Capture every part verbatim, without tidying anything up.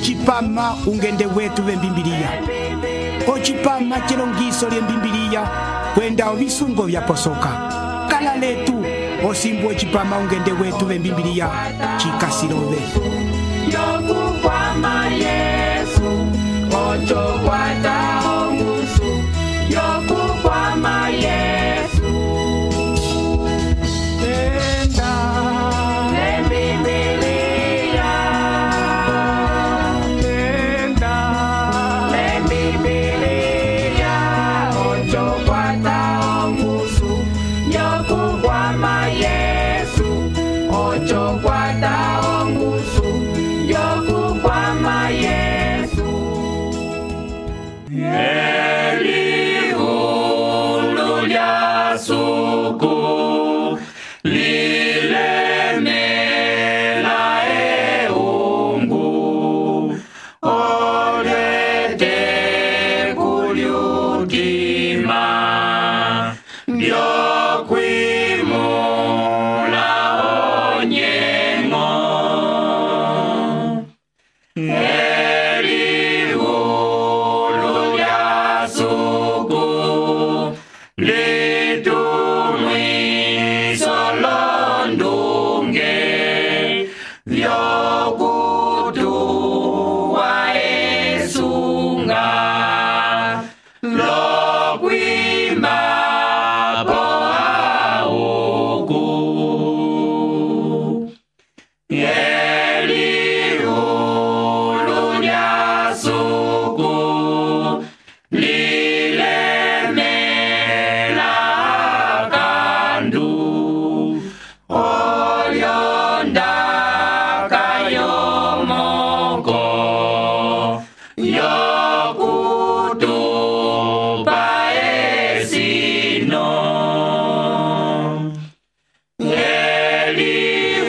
ocipama ungende wetu vembimbiliya, ocipama celongiso lyembimbiliya kwenda ovisungo vyaposoka. Kala letu osimbu ocipama ungende wetu vembimbiliya cikasilove yokukwama Yesu ocho kwata ongusu yokukwama Yesu tenda lembibiliya tenda lembibiliya ocho kwata ongusu yokukwama Yesu ocho kwata ongusu yokukwama Yesu elihulu lya suku lilemela eungu olete kulyutima byokwimula onyengo elihulu lya suku litumwiso londunge vyokutuwa esunga lokwima po auku elihulu lya suku lilemela kandu olyondaka yomoko yokutupa esino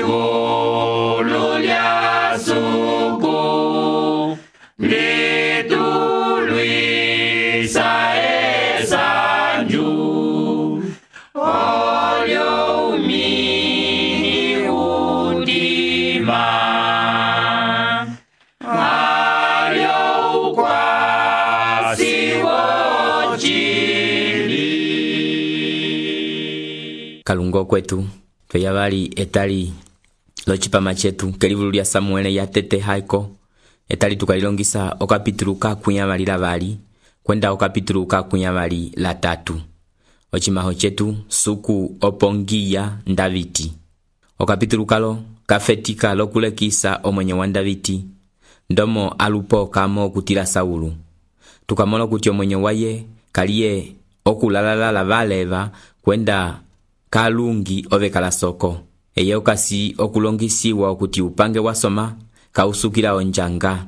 elihulu lya suku litulwisa esanju olyo umini udima alyo ukwasi wocili kalungo kwetu tweyavali etali locipama cetu kelivulu lya Samuele ya tete haiko etali tukalilongisa okapitulu kakwiyavali lavali kwenda okapitulu kakwiyavali la tatu. Ocimaho cetu suku opongiya Ndaviti. Okapitulu kalo kafetika lokulekisa omwenye wa Ndaviti ndomo alupo kamo okutila Saulu. Tukamola kuti omwenye waye kaliye okulalala valeva kwenda kalungi ovekala soko. Eye okasi okulongisiwa okuti upange wasoma kausukila onjanga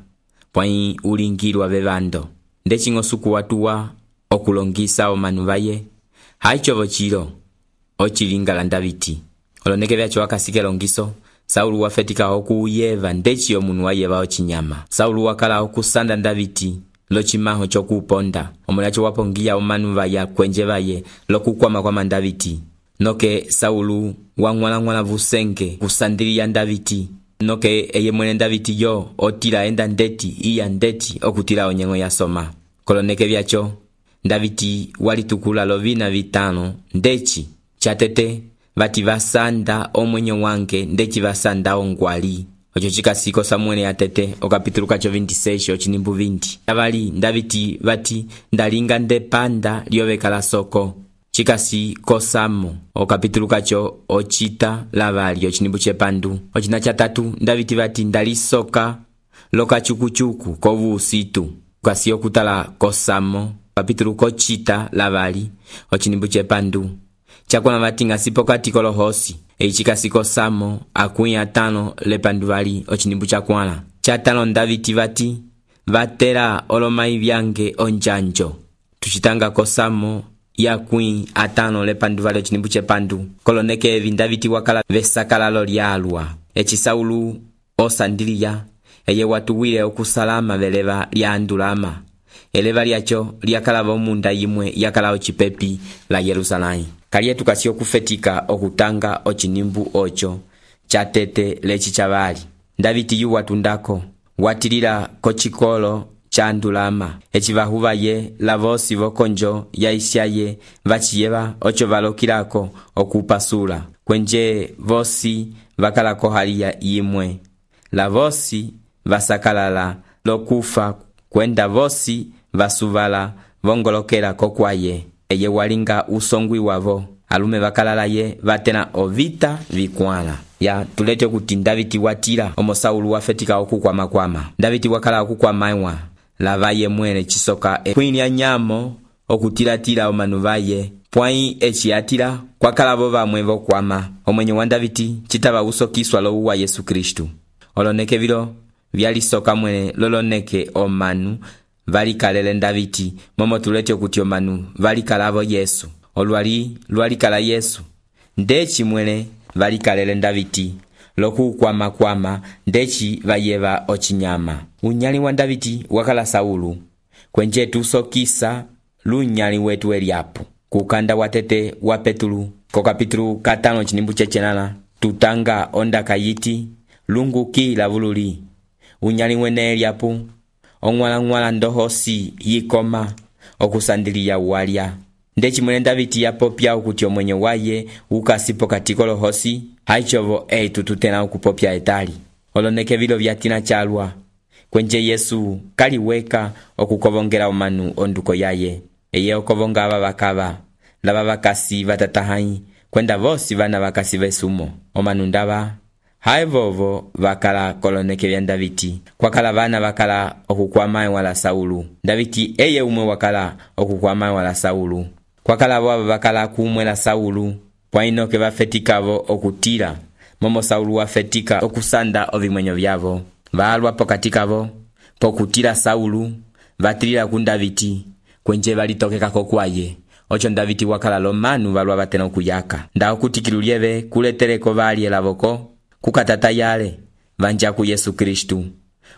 pwai ulingilwa vevando. Ndechingo suku watuwa okulongisa omanu vaye haichovo chilo ochilingala Ndaviti. Oloneke vyacho wakasike longiso Saulu wafetika okuyeva ndechi omunu wayeva ochinyama. Saulu wakala okusanda Ndaviti lochimaho chokuponda omulacho wapongiya omanu vaya kwenje vaye lokukwama kwa Ndaviti. Noke Saulu wangwala ngwala vusenge kusandiliya Ndaviti. Noke eye mwene Ndaviti yo otila enda ndeti iya ndeti okutila onyengo ya soma. Koloneke vyacho Ndaviti walitukula lovina vitano ndechi chatete vati vasanda omwenye wange ndechi vasanda ongwali. Ocho chikasiko Samuele ya tete okapitulu kacho vintisesho ochinimbu vinti. Avali Ndaviti vati ndalinga ndepanda liovekala soko. Chikasi kosamo okapitulu kacho ochita lavali ochinimbu chepandu. Ochina chatatu Ndaviti vati ndalisoka loka chukuchuku kovu usitu. Kasi okutala kosamo kapitulu kochita lavali ochinimbu chepandu. Chakwana vati ngasipo kati kolohosi. Eichikasi kosamo akuya atano lepandu vali ochinimbu chakwana. Chatano Ndaviti vati vatera olomai vyange onjanjo. Tuchitanga kosamo ya kui atano lepandu vali ochinimbu chepandu. Koloneke evi Ndaviti wakala vesakala lolialwa. Echi Saulu osandiliya eye watuwile okusalama veleva lya andulama. Eleva lyacho lyakalava omunda yimwe yakala ochipepi la Yerusalai. Kaliye tukasi okufetika okutanga ochinimbu ocho chatete lechi chavali. Ndaviti yu watundako watilila kocikolo cha ndulama eci vahuvaye lavosi vokonjo ya isyaye vaciyeva oco valokilako okupasula kwenje vosi vakalako hali yimwe lavosi vasakalala lokufa kwenda vosi vasuvala vongolokela kokwaye eye walinga usongwi wavo alume vakalalaye vatena ovita vikwala ya tulete kuti Davidi watila omo Saulu wafetika okukwama-kwama Davidi wakala okukwamaiwa lavaye mwene chisoka kwinya nyamo okutilatila omanu vaye pwai eciatila kwakalavo vamwe vokwama omwenye wa Davidi citava usokiswa lowu wa Yesu Kristu oloneke vilo vyalisoka mwene loloneke omanu valikalele Davidi momo tulete kuti omanu valikalavo Yesu olwali lwalikala Yesu ndeci mwene valikalele Davidi lokukwama-kwama ndeci vayeva ocinyama unyali wa Davidi wakala Saulu kwenje tusokisa lunyali wetu eliapu kukanda watete wa Petulu ko kapitulu katano cinimbu cecenala tutanga onda kayiti lungu kila vululi unyali wene eliapu ongwala-ngwala ndohosi yikoma okusandiliya walya ndeci mwene Davidi yapopya ukuti omwenye waye ukasipo katiko lohosi haichovo eitu tutena ukupopya etali oloneke vilo vyatina chalwa kwenje Yesu kaliweka okukovongela omanu onduko yaye eye okovonga aba bakaba laba bakasi batatahai kwenda vosi vana bakasi vesumo omanu ndaba haivovo vakala koloneke vya Davidi kwakala vana vakala okukwama wala Saulu Davidi eye umwe wakala okukwama wala Saulu kwakala abo bakala kumwela Saulu pwainoke bafetikavo okutila momo Saulu wafetika okusanda ovimwenyo vyavo valwa pokatikavo pokutila Saulu vatilila ku Davidi kwenje valitokeka kokwaye ocho Davidi wakala lomanu valwa batena okuyaka nda okutikilulieve kuleteleko vali elavoko kukatata yale vanja ku Yesu Kristu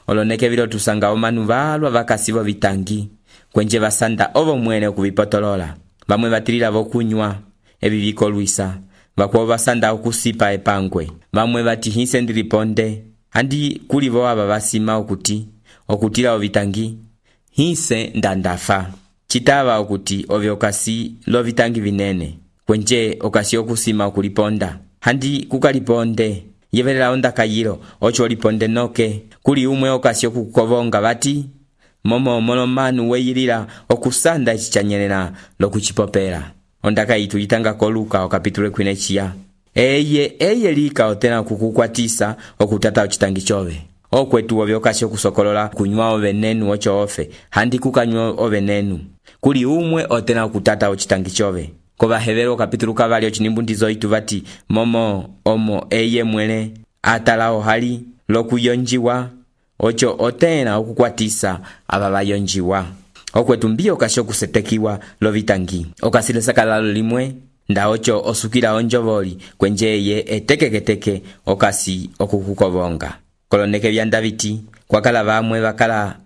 oloneke vilo tusanga omanu valwa vakasivo vitangi kwenje vasanda ovo mwene okuvipotolola vamwe vatilila vokunywa evi vikolwisa vakuwa vasanda okusipa epangwe vamwe vatihise ndiliponde handi kulivo aba basima okuti okutila ovitangi hise ndandafa citava okuti ovyo okasi lovitangi vinene kwenje okasi okusima okuliponda handi kukaliponde yevelela onda kayilo ocho oliponde noke kuli umwe okasi okukovonga vati momo molomanu weyilila okusanda echichanyelela lokuchipopela ondaka yitu yitanga koluka okapitule kwinechiya eye eye lika otena kukukwatisa okutata ochitangi chove okwetu ovyokasi okusokolola kunywa ovenenu ocho ofe handi kukanywa ovenenu kuli umwe otena okutata ochitangi chove kovahevero okapitulu kavali ochinimbu itu vati momo omo eye mwene atalao hali lokuyonjiwa ocho otena okukwatisa aba bayonjiwa okwetu mbio okasi okusetekiwa lovitangi okasilesakala limwe nda ocho osukila onjovoli kwenjeye etekeketeke okasi okukukovonga koloneke vya Davidi kwakala vamwe vakala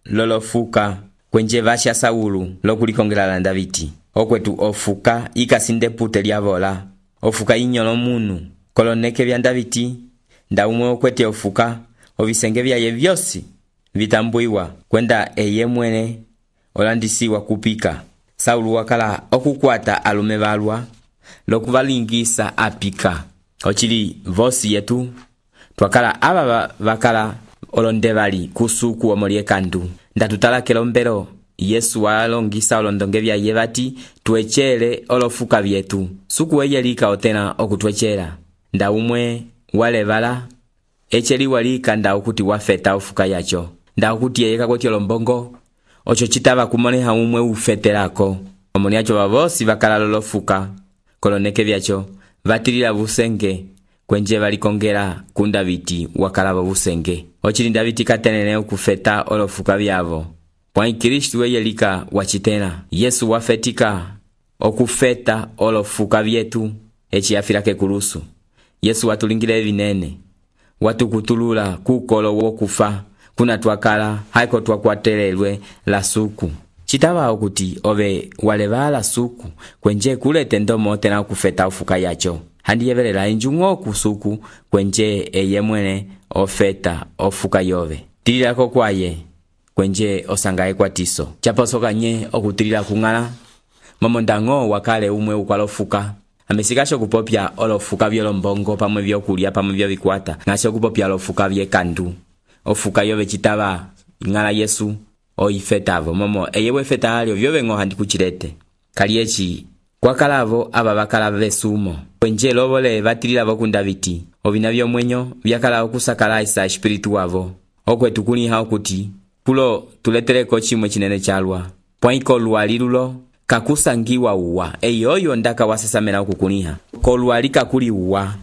lolofuka kwenje vasha Saulu lokulikongela la Davidi okwetu ofuka ikasinde pute lyavola ofuka inyolo munu koloneke vya Davidi nda umwe okwete ofuka ovisenge vyaye vyosi vitambuiwa kwenda eye mwene olandisiwa kupika Saulu wakala okukwata alume valwa lokuvalingisa apika ochili vosi yetu twakala aba vakala olonde vali kusuku omolye kandu ndatutala kelombero Yesu walongisa olondonge vyaye vati twechele olofuka vyetu suku eyelika otena okutwechela nda umwe walevala echeli walika nda okuti wafeta ofuka yacho nda okuti yeyeka kweti olombongo ocho chitava kumoneha umwe ufetelako omoni acho vavosi vakala lolofuka koloneke vyacho vatilila busenge kwenje valikongela ku Davidi wakala busenge ochili Davidi katenene okufeta olofuka vyavo pwai Kristu eyelika wachitena Yesu wafetika okufeta olofuka vyetu echi afilake kulusu Yesu watulingile vinene watukutulula kukolo wokufa kuna twakala haiko twakwatelelwe la suku chitava okuti ove walevala suku kwenje kulete ndomo tena kufeta ofuka yacho handi yevelela injungo kusuku kwenje eye mwene ofeta ofuka yove tililako kwaye kwenje osanga ekwatiso chaposoka nye okutilila kung'ala momo ndango wakale umwe ukwalofuka amesikasho kupopya olofuka byolombongo pamwe byokulya pamwe byobikwata ngasho kupopya olofuka byekandu ofuka yobe chitaba ng'ala Yesu oifetavo momo eyewe feta alio byobengo handi kuchirete kaliechi kwakalavo aba bakala besumo kwenje lobole batilila bokunda biti obina byomwenyo byakala okusakala isa espiritu wavo okwetu kuliha okuti kulo tuletereko chimwe chinene chalwa poiko lwalilulo kakusangiwa uwa eyoyo ndaka wasesamela okukuniha kolwali kakuli uwa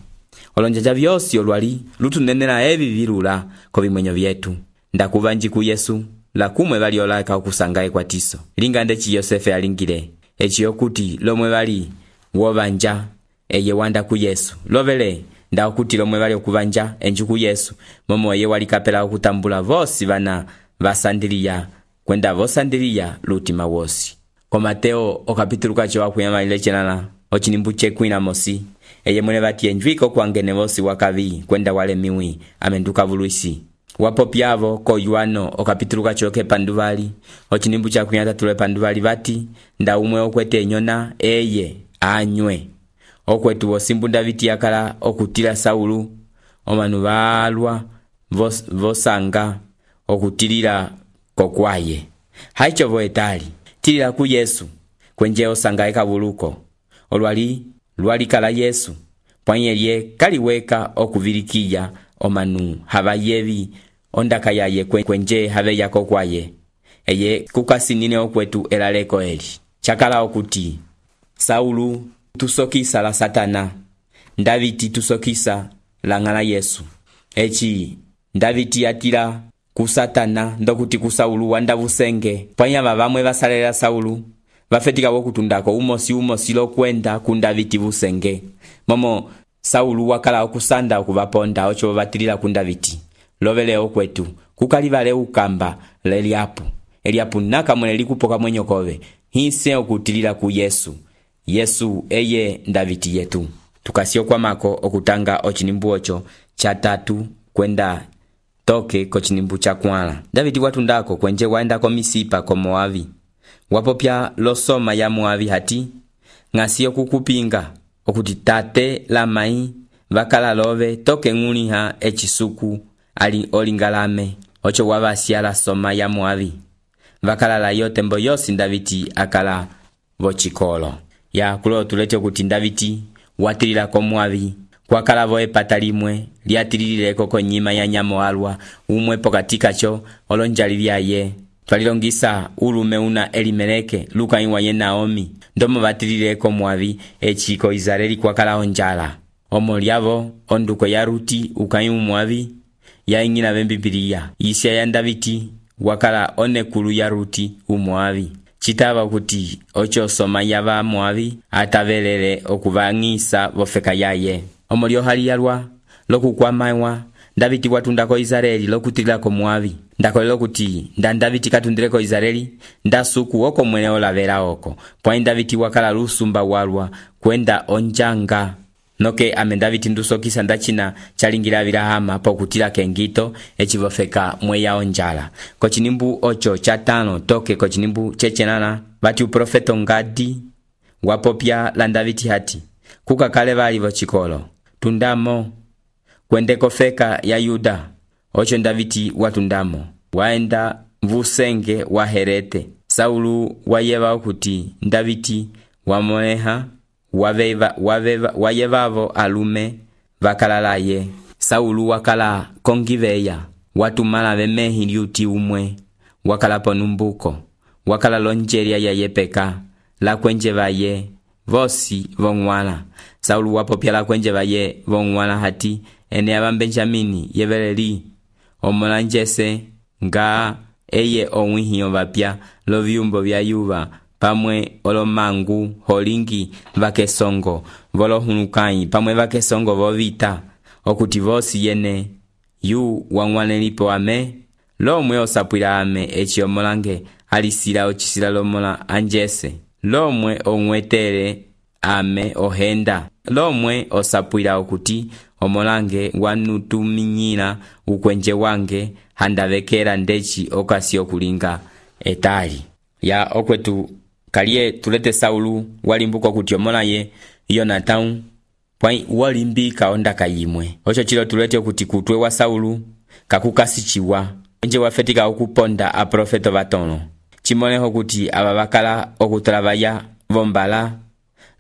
olonjaja byosi olwali lutunenera ebi birula ko bimwenyo byetu ndakubanji ku Yesu la kumwe bali olaka okusanga ekwatiso lingande chi Yosefe alingire echi okuti lomwe bali wobanja eye wanda ku Yesu lobele nda okuti lomwe bali okubanja enju ku Yesu momo eye wali kapela okutambula vosi bana basandiliya kwenda vosandiliya lutima wosi ko Mateo okapitulu kacho wakuyama ile chenana ochinimbu chekwina mosi eye mwene bati enjwiko kwangene vosi wakabi kwenda wale miwi amenduka vuluisi wapo pyavo ko Yohano okapitulu kacho ke panduvali ochinimbu chakunyata tule panduvali bati nda umwe okwete nyona eye anywe okwetu wosimbu Davidi yakala okutila Saulu omanu balwa vos, vosanga okutilila kokwaye haicho voetali tilila ku Yesu kwenje osanga ekabuluko olwali lwali kala Yesu pwanyelie kaliweka okuvilikiya omanu habayebi ondaka yaye kwenje habe yako kwaye eye kukasinine okwetu elaleko eli chakala okuti Saulu tusokisa la Satana Davidi tusokisa la ng'ala Yesu echi Davidi atila ku Satana ndokuti ku Saulu wanda busenge panyama bamwe basalela Saulu bafetika bokutundako umosi umosi lokwenda ku Davidi busenge momo Saulu wakala okusanda okubaponda ocho batilila ku Davidi lobele okwetu kukalibale ukamba leliapu eliapu naka mwene likupoka mwenyo kobe hise okutilila ku Yesu Yesu eye Davidi yetu tukasio kwa mako okutanga ochinimbu ocho cha tatu kwenda toke kochinimbu cha kwala Davidi watundako kwenje waenda ko Misipa ko Moabi wapopya losoma ya Moabi hati ngasio kukupinga okuti tate la mai bakala love toke nguniha echisuku ali olingalame ocho wabasia la soma ya Moabi bakala la yote mbo yosi Davidi akala bochikolo ya kulo tulete okuti Davidi watilila ko Moabi kwa kalavo epatalimwe liatilile koko nyima ya nyamo alwa umwe pokatika cho olonjali byaye twalilongisa ulume una Elimeleke luka iwa ye Naomi ndomo batilile ko Moabi echiko Israeli kwa kala onjala omolyavo onduko ya Ruti ukayimu Moabi ya ingina bembibiliya isya ya Davidi wakala onekulu ya Ruti umoabi chitaba kuti ocho soma yaba Moabi atavelele okuvangisa bofeka yaye omolyo hali yalwa lokukwamaiwa Davidi watundako Israeli lokutila ko Moabi ndakolelo kuti nda Davidi katundireko Israeli ndasuku oko mwene olavera oko pwa Davidi wakala lusumba walwa kwenda onjanga noke ame Davidi ndusokisa ndachina chalingira birahama pokutila kengito echivofeka mweya onjala kochinimbu ocho chatano toke kochinimbu chechenana bati uprofeto Ngadi wapopya la Davidi hati kukakale bali bochikolo tundamo kwendeko feka ya Yuda ocho Davidi watundamo waenda mvusenge wa Herete Saulu wayeba okuti Davidi wamoneha waveva waveva wayevavo alume vakalalaye Saulu wakala kongiveya watumala bemehi liuti umwe wakala ponumbuko wakala lonjeria ya yepeka la kwenje vaye vosi vongwala Saulu wapopya la kwenje vaye vongwala hati ene aba Benjamini yebeleri omolanjese nga eye onwihiyo bapya lo vyumbo bya Yuba pamwe olomangu holingi vakesongo volohulukai pamwe vakesongo vovita okuti vosi yene yu wangwanelipo ame lomwe osapwila ame echiomolange alisila ochisila lomola anjese lomwe onwetele ame ohenda lomwe osapwila okuti omolange wanutuminyila ukwenje wange handavekera ndeci okasi okulinga etali. Ya okwetu kaliye tulete Saulu walimbuka kuti omolaye Yonatau pwai walimbika onda kayimwe. Ocho chilo tulete kuti kutwe wa Saulu kakukasichiwa nje wafetika okuponda aprofeto batono. Chimoneho kuti ababakala okutrabaya vombala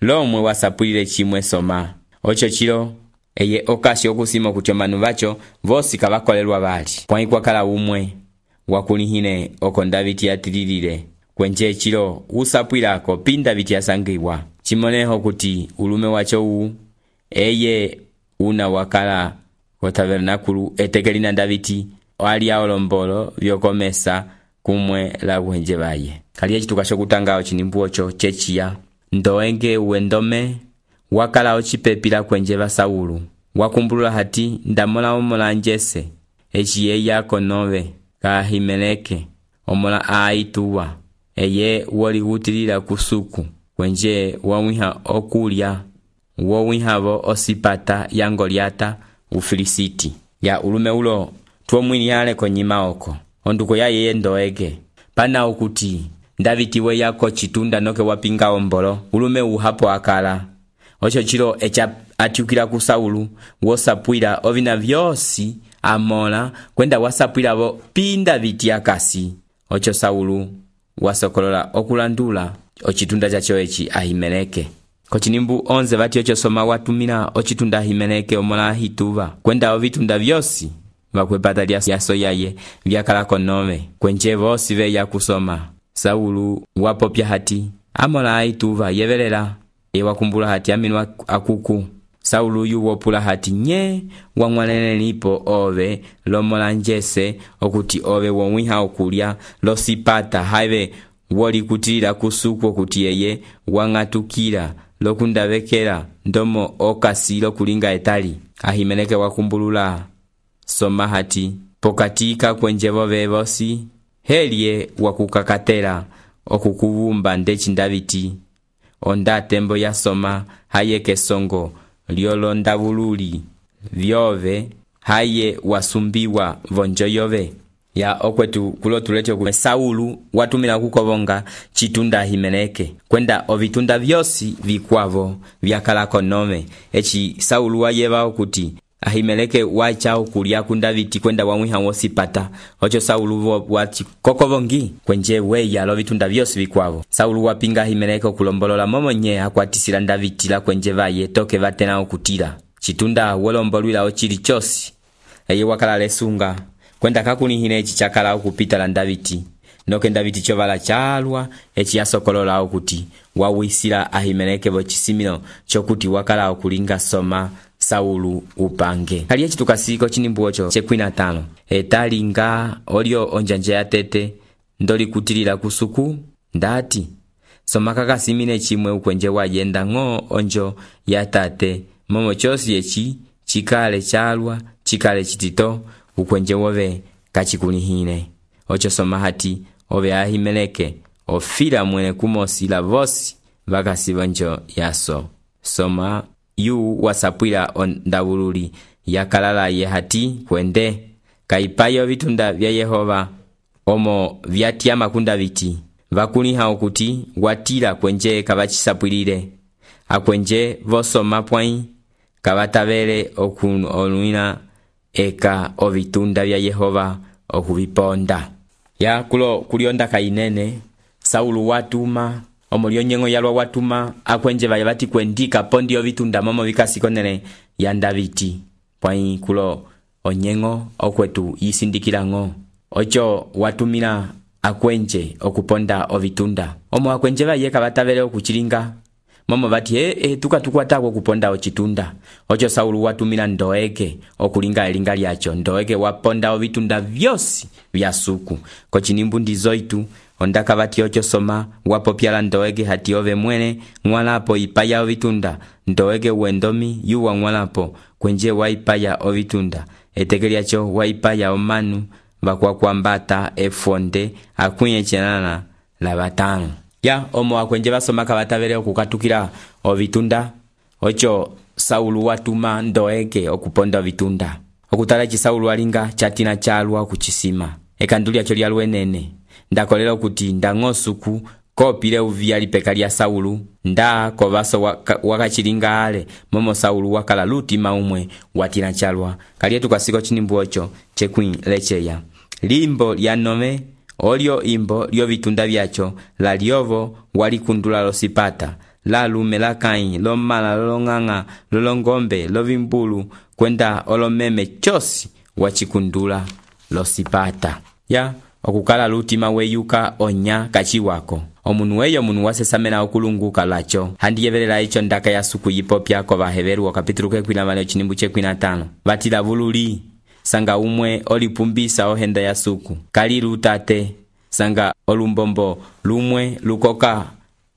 lomwe wasapulile chimwe soma. Ocho chilo eye okasi okusima kuti omanu bacho vosi kabakolelwa bali. Pwai kwakala umwe wakulihine oko Davidi yatililile. Kwenje chilo usapwilako pinda biti yasangiwa. Chimoneho kuti ulume wacho u eye una wakala kwa tabernakulu etekelina Davidi wali ya olombolo vyokomesa kumwe la wenje baye. Kaliye chitukasho kutangao chinimbuo cho chechia ndoenge uendome wakala ochipepila kwenje ba Saulu. Wakumbulula hati ndamola omola njese echiye yako nove ka Ahimeleke omola aituwa eye wali gutilila kusuku kwenje wawiha okulya wowihavo osipata ya Goliata ufilisiti. Ya ulume ulo tuo mwini yale konyima oko onduko ya yeye ndoege pana ukuti Davidi we yako chitunda noke wapinga ombolo ulume uhapo akala. Ocho chilo echa atiukila ku Saulu wosapwila ovina vyosi amola kwenda wasapwila vo pinda viti akasi. Ocho Saulu wasokolola okulandula ochitunda chacho echi Ahimeleke. Kochinimbu onze vati ocho soma watumila ochitunda Ahimeleke omola hituva kwenda ovitunda vyosi vakwepata lya yaso yaye vyakala konove kwenje vosi ve ya kusoma. Saulu wapopya hati amola aituva yevelela ewakumbula hati aminwa akuku. Saulu yu wopula hati nye wangwanene nipo ove lomola njese okuti ove wonwiha okulya losipata haive woli kutilila kusuku okuti yeye wangatukila lokundavekela ndomo okasi lokulinga etali. Ahimeleke wakumbulula soma hati pokatika kwenjevo vevosi helie wakukakatela okukuvumba ndechi Davidi onda tembo ya soma haye kesongo liolonda bululi vyove haye wasumbiwa vonjo yove. Ya okwetu kulo tulecho kume Saulu watumila kukovonga chitunda Ahimeleke kwenda ovitunda vyosi vikwavo vyakala konome. Echi Saulu wayeva okuti Ahimeleke wacha okulia ku Davidi kwenda wamwiha wosipata. Ocho Saulu wati kokovongi kwenje weya lo vitunda vyosi vikwavo. Saulu wapinga Ahimeleke okulombolola momonye akwatisila Davidi la kwenje vaye toke vatena okutila chitunda wolombolwila ochili chosi eye wakala lesunga kwenda kakunihine echi chakala okupita la Davidi noke Davidi chovala chalwa echi yasokolola okuti wawisila Ahimeleke vochisimilo chokuti wakala okulinga soma Saulu upange. Kaliye chitukasiko chinimbuo cho chekwina tano etalinga olio onjanje ya tete ndoli kutilila kusuku ndati soma kakasimine chimwe ukwenje wayenda ng'o onjo ya tate momo chosi echi chikale chalwa chikale chitito ukwenje wove kachikunihine. Ocho soma hati ove Ahimeleke ofila mwene kumosila vosi vakasi vanjo yaso. Soma yu wasapwila ondabululi yakalala ye hati kwende kaipayo vitunda vya Yehova omo vyatiama kunda viti vakuniha okuti watila kwenje kavachisapwilile akwenje vosoma pwai kavatavele okunuina eka ovitunda vya Yehova okuviponda. Ya kulo kulionda kainene Saulu watuma omulio nyengo yalwa watuma akwenje vaya vati kwendika pondi ovitunda momo vikasikonene ya Davidi pwai kulo onyengo okwetu yisindikila ng'o. Ocho watumila akwenje okuponda ovitunda omo akwenje vaye kavatavele okuchilinga momo vati e, e tuka tukwata okuponda ochitunda. Ocho Saulu watumila ndoeke okulinga elinga lyacho ndoeke waponda ovitunda vyosi vya suku. Kochinimbu ndizoitu ondaka vati ocho soma wapopyala ndoeke hati ove mwene ngwalapo ipaya ovitunda ndoeke uendomi yuwa ngwalapo kwenje waipaya ovitunda etekelyacho waipaya omanu vakwakwambata efonde akunye chenana la batano. Ya omo akwenje basoma kavatavele okukatukila ovitunda. Ocho Saulu watuma ndoeke okuponda ovitunda okutala eci Saulu alinga chatina chalwa kuchisima ekandu lyacho lya lwenene ndakolela okuti ndang'o suku kopile uvia lipeka lya Saulu nda kovaso waka, wakachilinga ale momo Saulu wakala lutima umwe watina chalwa kalietu kasiko chinimbu ocho chekwin lecheya limbo lya nove olio imbo lyo vitunda vyacho la liovo walikundula losipata la lume la kai lo mala lo nganga lo longombe lo vimbulu kwenda olomeme chosi wachikundula losipata ya okukala lutima weyuka onya kachi wako omunu weyo munu wasesamena okulunguka lacho handi yevelela icho ndaka ya suku yipopya ko baheveru kapitulu kekwina mane chinimbu chekwina tano batila vululi sanga umwe olipumbisa ohenda ya suku kali lutate sanga olumbombo lumwe lukoka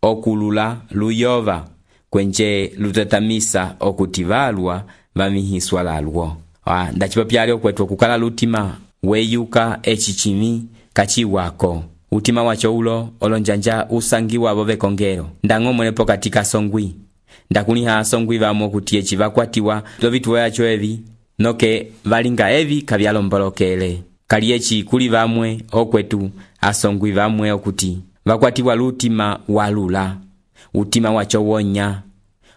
okulula luyova kwenje lutatamisa okutivalwa vamihiswa lalwo ah ndachipopya okwetu okukala lutima weyuka echichimi kachi wako utima wacho ulo olonjanja usangiwa bove kongero ndang'o mwenepo katika songwi ndakuniha songwi vamo kuti echi vakwatiwa lovituwa yacho evi noke valinga evi kavyalombolokele kali echi kuli vamwe okwetu asongwi vamwe okuti vakwatiwa lutima walula utima wacho wonya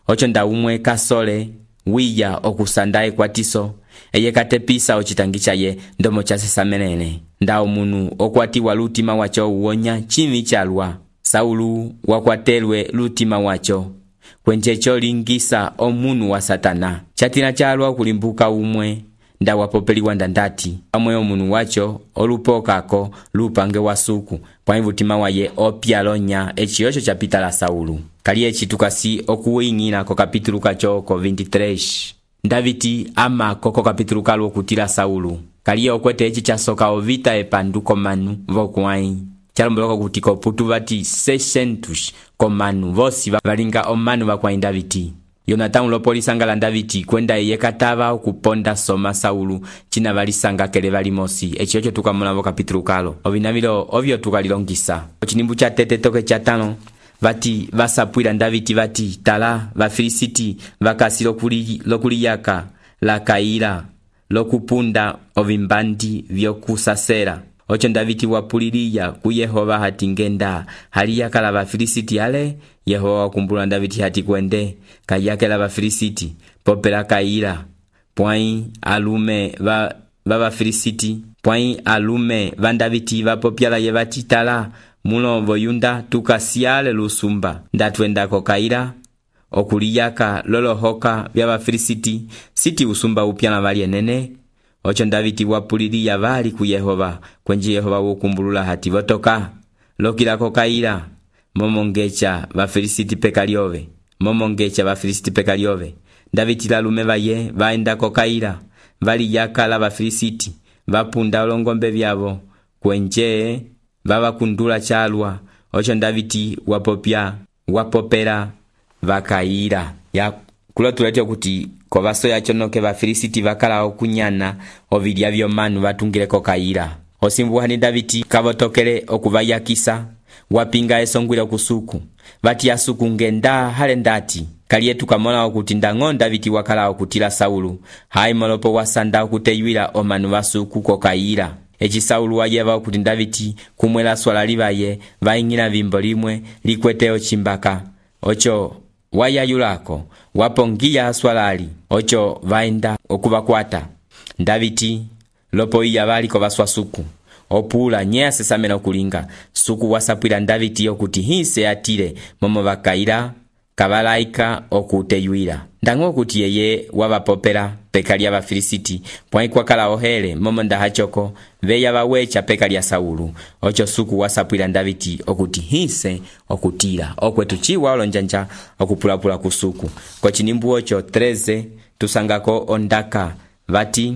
ocho nda umwe kasole wiya okusanda ekwatiso eye katepisa ochitangicha ye ndomo chasesamenene nda omunu okwatiwa lutima wacho uwonya chimi chalwa Saulu wakwatelwe lutima wacho kwenjecho lingisa omunu wa Satana chatina chalwa kulimbuka umwe nda wapopeliwa ndandati amwe omunu wacho olupokako lupange wasuku kwa mvutima waye opyalonya echiyocho chapita la Saulu kali echi tukasi okuwingina ko kapitulu kacho ko veintitrês Daviti ama koko kapitulu kalo kutila Saulu kali okwete echi chasoka ovita epanduko manu vokwai chalomboloko kutiko putu vati seiscentos komanu vosi valinga omanu vakwai Daviti Yonatan lopolisa ngala Daviti kwenda yekatava okuponda soma Saulu china valisanga kele valimosi echiyocho tukamona vo kapitulu kalo ovinavilo ovyo tukalilongisa ochinimbu cha tete toke cha tano vati vasapwila Daviti vati tala vafilisiti vakasi lokuli lokuliyaka la kaila lokupunda ovimbandi vyokusasera ocho Daviti wapuliliya ku Yehova hati ngenda haliyaka la vafilisiti ale Yehova wakumbula Daviti hati kwende kayake la vafilisiti popela kaila pwai alume va va vafilisiti pwai alume va Daviti vapopyala ye vati tala mulo voyunda tukasiale lusumba ndatwenda ko kaila okuliyaka lolohoka vya vafilisiti siti usumba upyana vali enene ocho Daviti wapuliliya vali ku Yehova kwenje Yehova wokumbulula hati votoka lokila ko kaila momongecha vafilisiti pekaliove momongecha vafilisiti pekaliove Daviti la lume vaye vaenda ko kaila vali yakala vafilisiti vapunda olongombe vyavo kwenje vavakundula chalwa ocho Daviti wapopya wapopera vakaila ya kulo tulete kuti kovaso yacho noke vafilisiti vakala okunyana ovilya vyomanu vatungile ko kaila osimbuhani Daviti kavotokele okuvayakisa wapinga esongwile kusuku vati asuku ngenda hale ndati kaliye tukamona okuti ndang'o Daviti wakala okutila Saulu hai molopo wasanda okuteywila omanu vasuku ko kaila echi Saulu wayeva okuti Daviti kumwela swala livaye vaingina vimbo limwe likweteo chimbaka ocho wayayulako wapongiya swalali ocho vaenda okuvakwata Daviti lopo iya vali ko vaswasuku opula nye sesamena okulinga suku wasapwila Daviti okuti hinse atile momo vakaila kabalaika okuteywila ndang'o okuti yeye wavapopela peka lya vafilisiti pwai kwakala ohele momo ndahachoko veya vawecha peka lya Saulu ocho suku wasapwila Daviti okuti hinse okutila okwetu chiwa olonjanja okupulapula kusuku kwa chinimbu ocho treze tusangako ondaka vati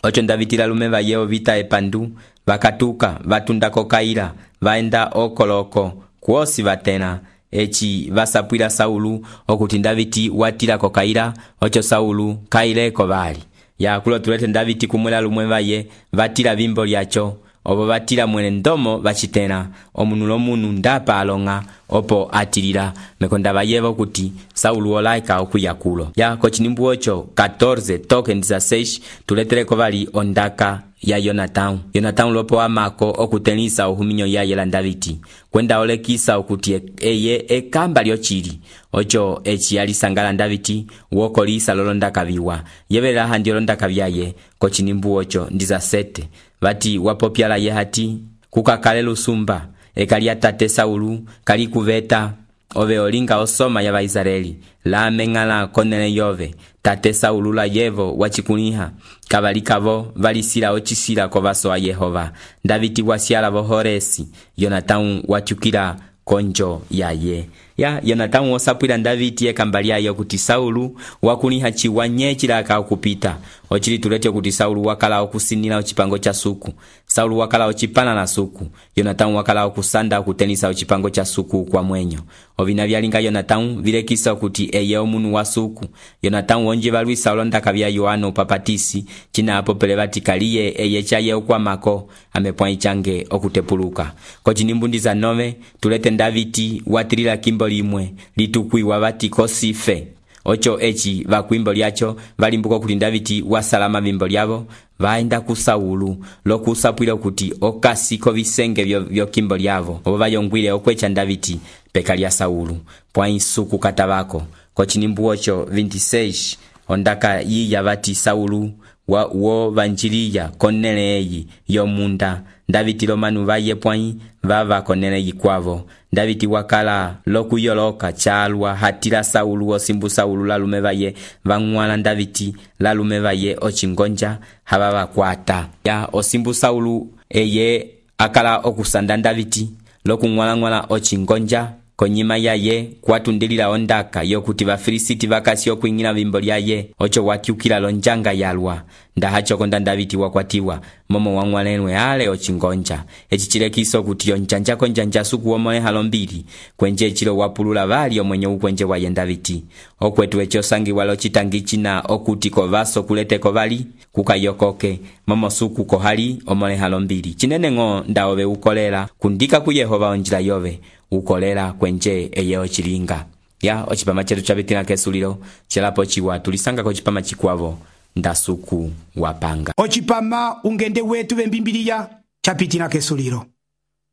ocho Daviti la lume vayeo vita epandu vakatuka vatundako kaila vaenda okoloko kuosi vatena echi vasapwila Saulu okuti Daviti watila ko kaila ocho Saulu kaileko vali ya kulo tulete Daviti kumwela lumwe vaye vatila vimbo lyacho obo batila mwene ndomo bachitela omunu lomunu ndapa alonga opo atilila mekonda bayeba kuti Saulu olaika okuyakulo ya kochinimbu ocho catorze toke dezesseis tuleteleko bali ondaka ya Yonatão. Yonatão lopo amako okutenisa uhuminyo ya yela Davidi kwenda olekisa okuti eye ekamba lyochili ocho echi alisangala Davidi wokolisa lolondaka biwa yebela handi lolondaka byaye kochinimbu ocho dezesete bati wapopyala ye hati kukakale lusumba ekali atate Saulu kali kuveta ove olinga osoma ya Baisraeli la mengala konele yove tate Saulu la yevo wachikuniha kabalikavo valisila ochisila kwa baso wa Yehova Davidi wasiala bohoresi Yonatão wachukila konjo yaye ya Yonatão osapwila Davidi ekambalia yo kuti Saulu wakuniha chiwanye chilaka okupita ochili tulete kuti Saulu wakala okusinila ochipango cha suku Saulu wakala ochipana na suku Yonatão wakala okusanda okutenisa ochipango cha suku kwa mwenyo ovina byalinga Yonatão vilekisa kuti eye omunu wa suku Yonatão onje balwisa olondaka bya Yohana upapatisi china apo pele batikaliye eye chaye okwamako amepwa ichange okutepuluka kochinimbundi za nove tulete Davidi watilila kimbo limwe litukwiwa bati kosife ocho echi bakwimbo lyacho balimbuko kuti Davidi wasalama bimbo lyabo vaenda ku Saulu lokusapwila kuti okasiko bisenge byo byo kimbo lyavo obo bayongwile okwecha Davidi peka lya Saulu pwa isuku katabako kochinimbu ocho veintiseis ondaka yiya bati Saulu wa wo vanjiliya konele eyi yomunda Davidi lomanu baye pwai vava konele yikwavo Davidi wakala lokuyoloka chalwa hatila Saulu osimbu Saulu lalume baye vangwala Davidi lalume baye ochingonja haba bakwata ya osimbu Saulu eye akala okusanda Davidi lokungwala ngwala ochingonja konyima yaye kwatundilila ondaka yokuti bafilisiti bakasi okwingila bimbo lyaye ocho watyukila lonjanga yalwa ndahacho konda Davidi wakwatiwa momo wangwalenwe ale ochingonja echichilekiso kuti yonjanja konjanja suku omole halombili kwenje chilo wapulula bali omwenye ukwenje wa Davidi okwetu echo sangi walo chitangi china okuti kovaso kulete kobali kukayokoke momo suku kohali omole halombili chinene ngo ndaobe ukolela kundika ku Yehova onjila yove ukolela kwenje eye ochilinga ya ochipama chetu chabitina kesulilo chelapo chiwa tulisanga ko chipama chikwavo ndasuku wapanga ochipama ungende wetu bembimbiliya chapitina kesulilo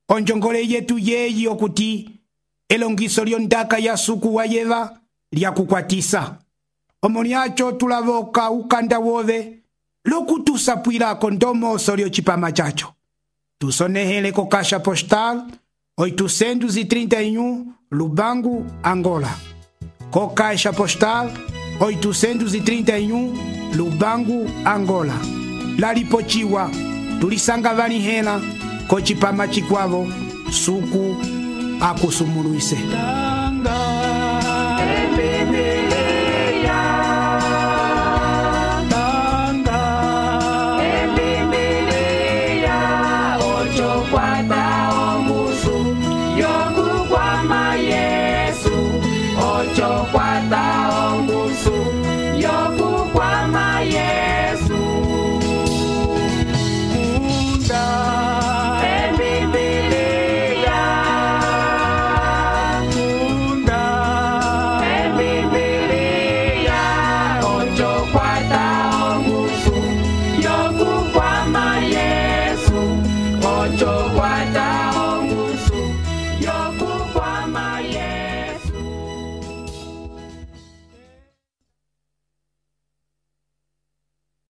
onjongole yetu yeyi okuti elongiso lyondaka ya suku wa yeva lyakukwatisa omoni acho tulavoka ukanda wove lokutusapwilako ndomoso lyochipama chacho tusonehele ko kasha postal oitocentos e trinta e um Lubango, Angola. Co caixa postal oitocentos e trinta e um Lubango, Angola. Laripochiwa, tulisanga vani hela, kochipama chikwavo, suku akusumunuise. Cuatro